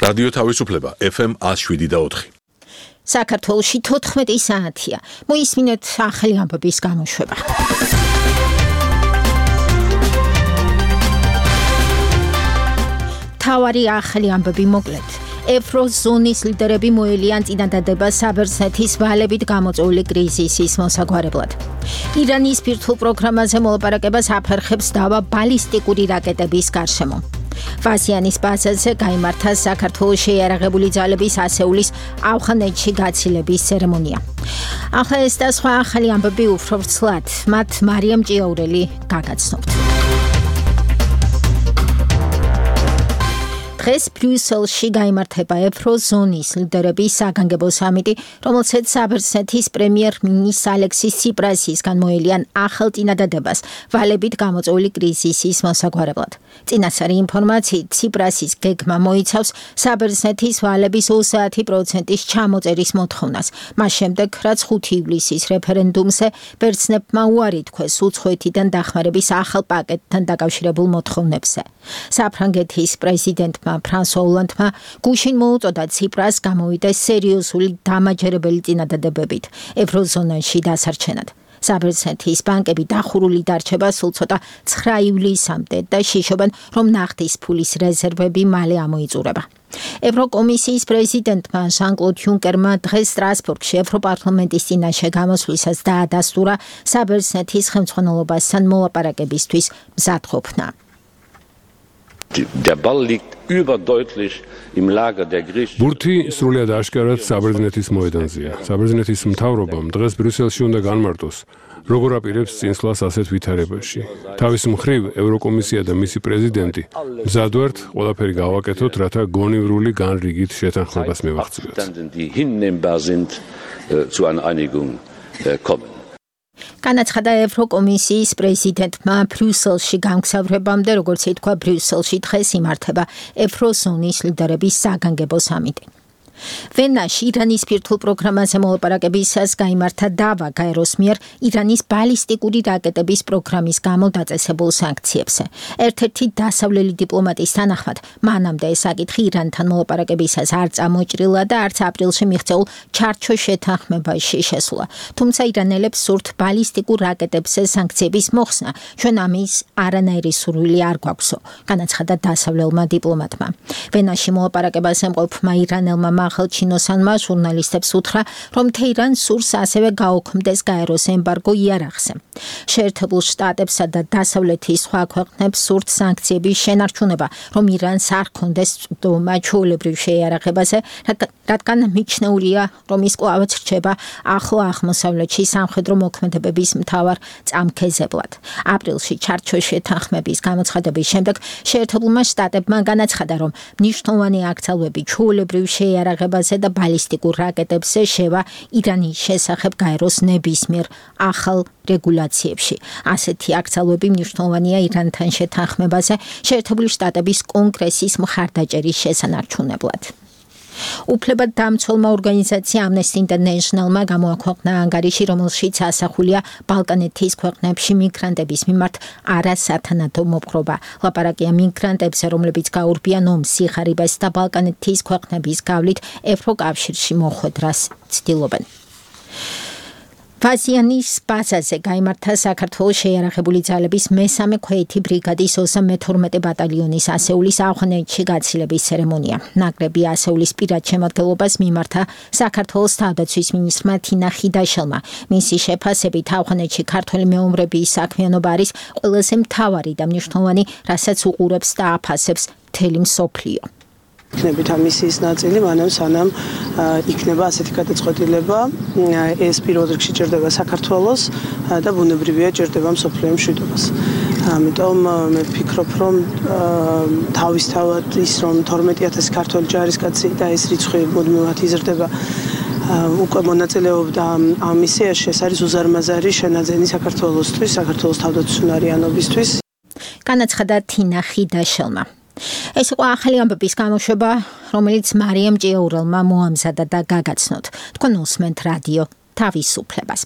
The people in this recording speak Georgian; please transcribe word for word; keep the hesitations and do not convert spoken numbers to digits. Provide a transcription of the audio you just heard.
რადიო თავისუფლება F M one oh seven და four. საქართველოში თოთხმეტი საათია. მოისმინეთ ახალი ამბების გამოშვება. თავარი ახალი ამბები მოკლედ. ევროზონის ლიდერები მოელიან წინადადება საბერძნეთის ვალებით გამოწვეული კრიზისის მოსაგვარებლად. ირანის ბირთვულ პროგრამაზე მოლაპარაკებას აფერხებს დავა ბალისტიკური რაკეტების გარშემო. ვაზიანის ბაზაზე გაიმართა საქართველოს შეიარაღებული ძალების ასეულის ავღანეთში გაცილების ცერემონია. ახლა ეს და სხვა ახალი ამბები უფრო ვრცლად, მათ მარიამ ჭიაურელი გაგაცნობთ. დღეს ბრიუსელში გაიმართება ევროზონის ლიდერების საგანგებო სამიტი, რომელსაც საბერძნეთის პრემიერ-მინისტრ ალექსის ციპრასისგან მოელიან ახალ წინადადებას ვალებით გამოწვეული კრიზისის მოსაგვარებლად. წინასწარი ინფორმაციით, ციპრასის გეგმა მოიცავს საბერძნეთის ვალების ოცდაათი პროცენტის ჩამოწერის მოთხოვნას, მას შემდეგ, რაც ხუთი ივლისის რეფერენდუმზე ბერძნებმა უარი თქვეს უცხოეთიდან დახმარების ახალ პაკეტთან დაკავშირებულ მოთხოვნებზე. საფრანგეთის პრეზიდენტმა ფრანსუა ოლანდმა გუშინ მოუწოდა ციპრას გამოვიდეს სერიოზული დამაჯერებელი წინადადებებით ევროზონაში დასარჩენად. საბერძნეთის ბანკები დახურული დარჩება სულ ცოტა ცხრა ივლისამდე და შიშობენ, რომ ნახტის ფულის რეზერვები მალე ამოიწურება. ევროკომისიის პრეზიდენტმა ჟან-კლოდ იუნკერმა დღეს სტრასბურგში ევროპარლამენტის წინაშე გამოსვლისას დაადასტურა საბერძნეთის ხელმძღვანელობასთან მოლაპარაკებისთვის მზადყოფნა. Der Ball liegt überdeutlich im Lager der Griechen. ბურთი სრულად აშკარად საბერძნეთის მოედანზეა. საბერძნეთის მთავრობამ დღეს ბრიუსელში უნდა განმარტოს, როგორ აპირებს წინსვლას ასეთ ვითარებაში. თავის მხრივ ევროკომისია და მისი პრეზიდენტი მზად ვართ ყველაფერი გავაკეთოთ, რათა გონივრული განრიგით შეთანხმებას მივაღწიოთ. Die hinnehmbar sind zu einer Einigung kommen. განაცხადა ევროკომისიის პრეზიდენტმა ბრიუსელში გამგზავრებამდე, როგორც ითქვა, ბრიუსელში დღეს იმართება ევროზონის ლიდერების საგანგებო სამიტი. ვენაში ირანის ბირთვულ პროგრამაზე მოლაპარაკებისას გაიმართა დავა გაეროს მიერ ირანის ბალისტიკური რაკეტების პროგრამის გამო დაწესებულ სანქციებზე. ერთ-ერთი დასავლელი დიპლომატის თანახმად, მანამდე ეს საკითხი ირანთან მოლაპარაკებისას არ წამოჭრილა და არც აპრილში მიღწეულ ჩარჩო შეთანხმებაში შესულა. თუმცა ირანელებს სურთ ბალისტიკურ რაკეტებზე სანქციების მოხსნა, ჩვენ ამის არანაირი სურვილი არ გვაქვსო, განაცხადა დასავლელმა დიპლომატმა. ვენაში მოლაპარაკებას ემყოფმა ირანელმა ახალჩინოსანმა ჟურნალისტებს უთხრა, რომ თეირანს სურს ასევე გაუქმდეს გაეროს ემბარგო იარაღზე. შეერთებულ შტატებსა და დასავლეთის სხვა ქვეყნებს სურთ სანქციების შენარჩუნება, რომ ირანს არ ჰქონდეს წვდომა ჩვეულებრივ შეიარაღებაზე, რადგან მიჩნეულია, რომ ის კვლავაც რჩება ახლო აღმოსავლეთში სამხედრო მოქმედებების მთავარ წამქეზებლად. აპრილში ჩარჩო შეთანხმების გამოცხადების შემდეგ შეერთებულმა შტატებმა განაცხადა, რომ მნიშვნელოვანი აკრძალვები ჩვეულებრივ შეიარაღებაზე და ბალისტიკურ რაკეტებზე შევა ირანის შესახებ გაეროს ნებისმიერ ახალ რეგულაციებში. ასეთი აკრძალვები მნიშვნელოვანია ირანთან შეთანხმებაზე შეერთებული შტატების კონგრესის მხარდაჭერის შესანარჩუნებლად. უფლებადამცველმა ორგანიზაცია Amnesty International-მა გამოაქვეყნა ანგარიში, რომელშიც ასახულია ბალკანეთის ქვეყნებში მიგრანტების მიმართ არასათანადო მოპყრობა. ლაპარაკია მიგრანტებზე, რომლებიც გაურბიან ომს, სიხარიბეს და ბალკანეთის ქვეყნების გავლით ევროკავშირში მოხვედრას ცდილობენ. ვაზიანის ბაზაზე გაიმართა საქართველოს შეიარაღებული ძალების მესამე ქვეითი ბრიგადის ოცდა მეთორმეტე ბატალიონის ასეულის ავღანეთში გაცილების ცერემონია. ნაკრები ასეულის პირად შემადგენლობას მიმართა საქართველოს თავდაცვის მინისტრმა თინა ხიდაშელმა. მისი შეფასებით ავღანეთში ქართველი მეომრების საქმიანობა არის ყველაზე მთავარი და მნიშვნელოვანი, რასაც უყურებს და აფასებს მთელი მსოფლიო. იქნებით ამისიის ნაწილი, მანამ სანამ იქნება ასეთი გადაწყვეტილება, ეს პირველ რიგში ჭირდება საქართველოს და ბუნებრივია ჭირდება მსოფლიო მშვიდობას. ამიტომ მე ვფიქრობ, რომ თავისთავად ის, რომ თორმეტი ათასი ქართველი ჯარისკაცი და ეს რიცხვი მუდმივად იზრდება, უკვე მონაწილეობდა ამ მისიაში, ეს არის უზარმაზარი შენაძენი საქართველოსთვის, საქართველოს თავდაცვისუნარიანობისთვის. განაცხადა თინა ხიდაშელმა. ეს იყო ახალი ამბების გამოშვება, რომელიც მარიამ ჭიაურელმა მოამზადა და გაგაცნოთ. თქვენ უსმენთ რადიო თავისუფლებას.